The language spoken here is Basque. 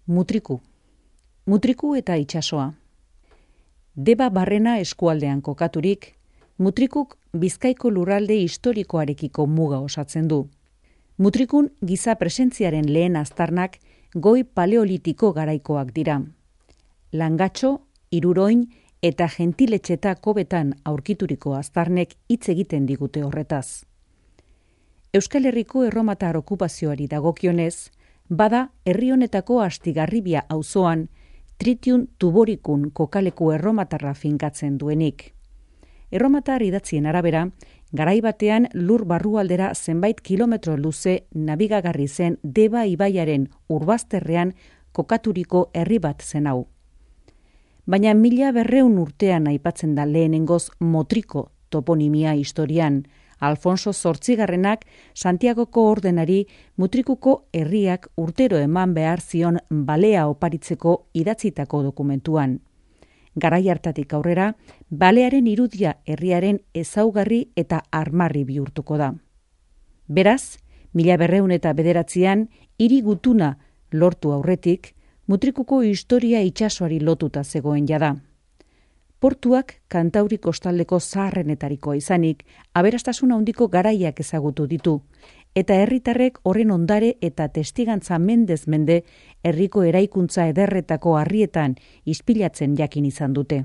Mutriku. Mutriku eta itsasoa. Deba Barrena eskualdean kokaturik, Mutrikuk Bizkaiko lurralde historikoarekiko muga osatzen du. Mutrikun giza presentziaren lehen aztarnak goi paleolitiko garaikoak dira. Langatxo, Iruroin eta Gentiletxeta kobetan aurkituriko aztarnek hitz egiten digute horretaz. Euskal Herriko erromatar okupazioari dagokionez, bada herri honetako Astigarribia auzoan Tritium Tuboricum kokaleku erromatarra finkatzen duenik. Erromatar idatzien arabera, garai batean lur barrualdera zenbait kilometro luze nabigagarri zen Deba ibaiaren urbazterrean kokaturiko herri bat zen hau. Baina 1200 urtean aipatzen da lehenengoz Motriko toponimia historian, Alfonso Zortzigarrenak Santiagoko ordenari Mutrikuko herriak urtero eman behar zion balea oparitzeko idatzitako dokumentuan. Garai hartatik aurrera, balearen irudia herriaren ezaugarri eta armarri bihurtuko da. Beraz, 1209 hiri gutuna lortu aurretik, Mutrikuko historia itsasoari lotuta zegoen jada. Portuak Kantauri kostaldeko zaharrenetarikoa izanik, aberastasun handiko garaiak ezagutu ditu, eta herritarrek horren ondare eta testigantza mendez mende herriko eraikuntza ederretako harrietan ispilatzen jakin izan dute.